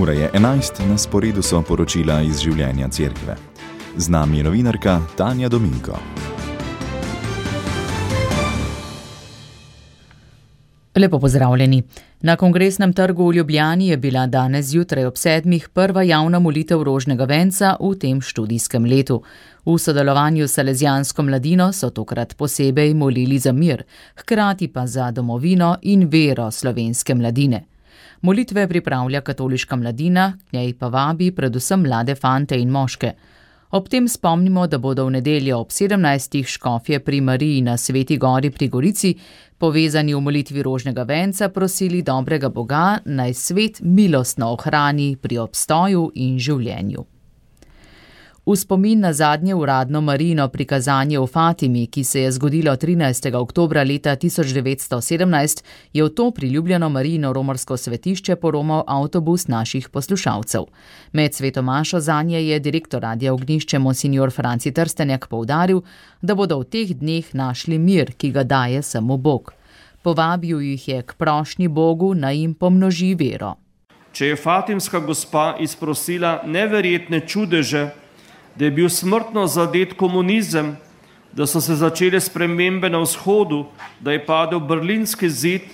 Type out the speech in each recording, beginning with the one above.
Ura je 11, na sporedu so poročila iz življenja cerkve. Z nami je novinarka Tanja Dominko. Lepo pozdravljeni. Na Kongresnem trgu v Ljubljani je bila danes zjutraj ob 7. prva javna molitev rožnega venca v tem študijskem letu. V sodelovanju s Salezijansko mladino so tokrat posebej molili za mir, hkrati pa za domovino in vero slovenske mladine. Molitve pripravlja katoliška mladina, k njej pa vabi predvsem mlade fante in moške. Ob tem spomnimo, da bodo v nedeljo ob 17. škofje pri Mariji na Sveti gori pri Gorici, povezani v molitvi rožnega venca, prosili dobrega Boga, naj svet milostno ohrani pri obstoju in življenju. V spomin na zadnje uradno Marijino prikazanje v Fatimi, ki se je zgodilo 13. oktobra leta 1917, je v to priljubljeno Marijino romarsko svetišče poromal avtobus naših poslušalcev. Med sveto mašo zanje je direktor Radia Ognjišče monsignor Franci Trstenjak poudaril, da bodo v teh dneh našli mir, ki ga daje samo Bog. Povabil jih je k prošnji Bogu, naj jim pomnoži vero. Če je Fatimska gospa izprosila neverjetne čudeže, da je bil smrtno zadet komunizem, da so se začele spremembe na vzhodu, da je padel berlinski zid,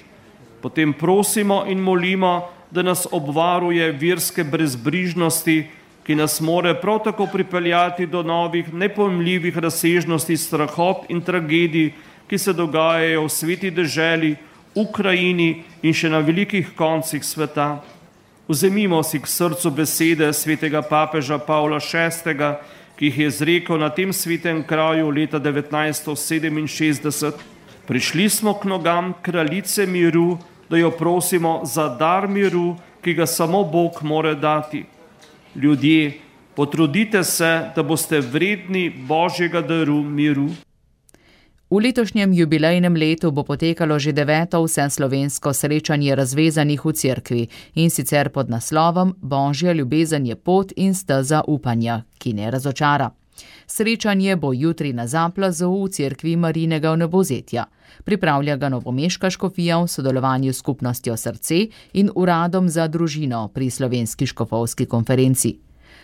potem prosimo in molimo, da nas obvaruje verske brezbrižnosti, ki nas more prav tako pripeljati do novih nepojmljivih razsežnosti strahot in tragedij, ki se dogajajo v sveti deželi, Ukrajini in še na velikih koncih sveta. Vzemimo si k srcu besede svetega papeža Pavla VI, ki jih je izrekel na tem svetem kraju leta 1967. Prišli smo k nogam kraljice miru, da jo prosimo za dar miru, ki ga samo Bog more dati. Ljudje, potrudite se, da boste vredni Božjega daru miru. V letošnjem jubilejnem letu bo potekalo že 9. vseslovensko srečanje razvezanih v cerkvi, in sicer pod naslovom Božja ljubezen je pot in steza upanja, ki ne razočara. Srečanje bo jutri na Zaplazu v cerkvi Marijinega vnebovzetja. Pripravlja ga novomeška škofija v sodelovanju s skupnostjo Srce in uradom za družino pri Slovenski škofovski konferenci.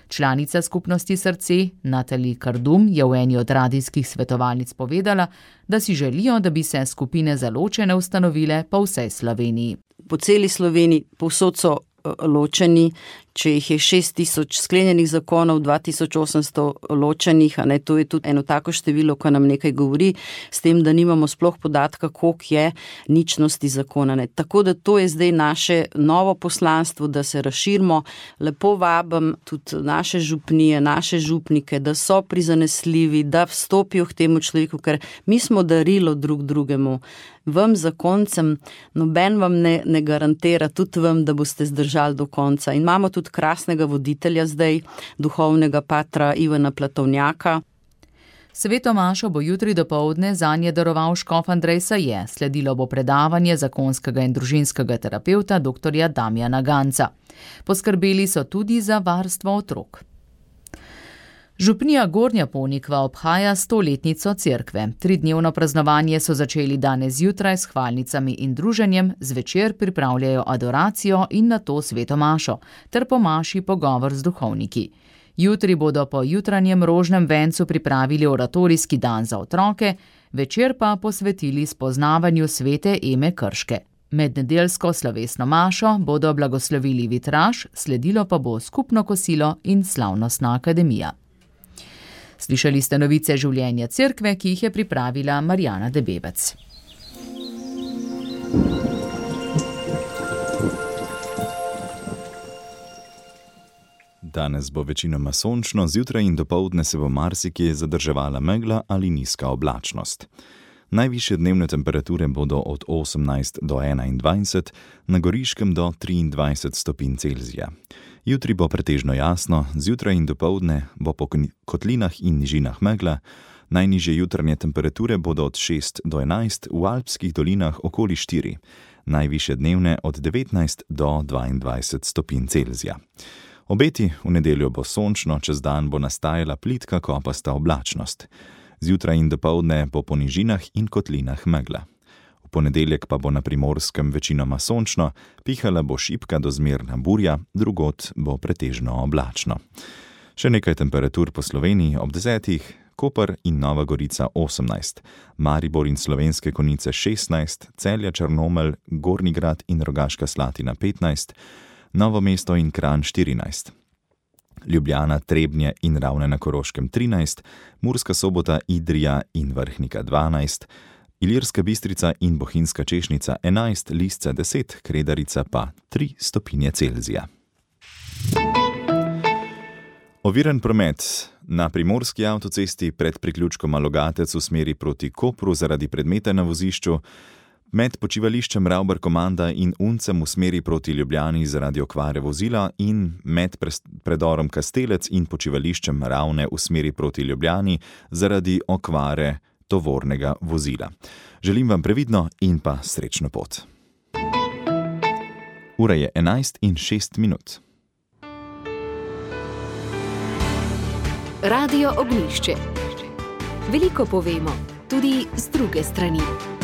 Članica skupnosti Srce, Natalija Kardum, je v eni od radijskih svetovalnic povedala, da si želijo, da bi se skupine za ločene ustanovile po vsej Sloveniji. Po celi Sloveniji povsod so ločeni, če jih je 6000 sklenjenih zakonov, 2800 ločenih, to je tudi eno tako število, ko nam nekaj govori, s tem, da nimamo sploh podatka, koliko je ničnosti zakona. Tako da to je zdaj naše novo poslanstvo, da se razširimo. Lepo vabim tudi naše župnije, naše župnike, da so prizanesljivi, da vstopijo k temu človeku, ker mi smo darilo drug drugemu. Vam zakoncem, noben vam ne garantira, tudi vam, da boste zdržali do konca. In imamo tudi krasnega voditelja zdaj, duhovnega patra Ivana Platovnjaka. Sveto mašo bo jutri dopoldne zanje daroval škof Andrej Saje, sledilo bo predavanje zakonskega in družinskega terapevta dr. Damjana Ganca. Poskrbeli so tudi za varstvo otrok. Župnija Gornja Ponikva obhaja 100-letnico cerkve. 3-dnevno praznovanje so začeli danes zjutraj s hvalnicami in druženjem, zvečer pripravljajo adoracijo in nato sveto mašo, ter po maši pogovor z duhovniki. Jutri bodo po jutranjem rožnem vencu pripravili oratorijski dan za otroke, večer pa posvetili spoznavanju svete Eme Krške. Med nedeljsko slovesno mašo bodo blagoslovili vitraž, sledilo pa bo skupno kosilo in slavnostna akademija. Slišali ste novice življenja cerkve, ki jih je pripravila Marjana Debebec. Danes bo večinoma sončno, zjutraj in dopoldne se bo marsikje zadrževala megla ali nizka oblačnost. Najvišje dnevne temperature bodo od 18 do 21, na Goriškem do 23 stopinj Celzija. Jutri bo pretežno jasno, zjutraj in dopoldne bo po kotlinah in nižinah megla, najnižje jutranje temperature bodo od 6 do 11, v alpskih dolinah okoli 4, najvišje dnevne od 19 do 22 stopinj Celzija. Obeti: v nedeljo bo sončno, čez dan bo nastajala plitka kopasta oblačnost. Zjutraj in dopoldne bo po nižinah in kotlinah megla. V ponedeljek pa bo na Primorskem večinoma sončno, pihala bo šibka do zmerna burja, drugod bo pretežno oblačno. Še nekaj temperatur po Sloveniji ob 10. Koper in Nova Gorica 18, Maribor in Slovenske Konjice 16, Celje, Črnomelj, Gornji Grad in Rogaška Slatina 15, Novo mesto in Kranj 14. Ljubljana, Trebnje in Ravne na Koroškem 13, Murska Sobota, Idrija in Vrhnika 12, Ilirska Bistrica in Bohinjska Češnica 11, Lisce 10, Kredarica pa 3 stopinje Celzija. Oviren promet. Na primorski avtocesti pred priključkom Logatec v smeri proti Kopru zaradi predmeta na vozišču, med počivališčem Ravbar Komanda in Uncem v smeri proti Ljubljani zaradi okvare vozila in med predorom Kastelec in počivališčem Ravne v smeri proti Ljubljani zaradi okvare tovornega vozila. Želim vam previdno in pa srečno pot. Ura je 11:06. Radio Ognjišče. Veliko povemo, tudi z druge strani.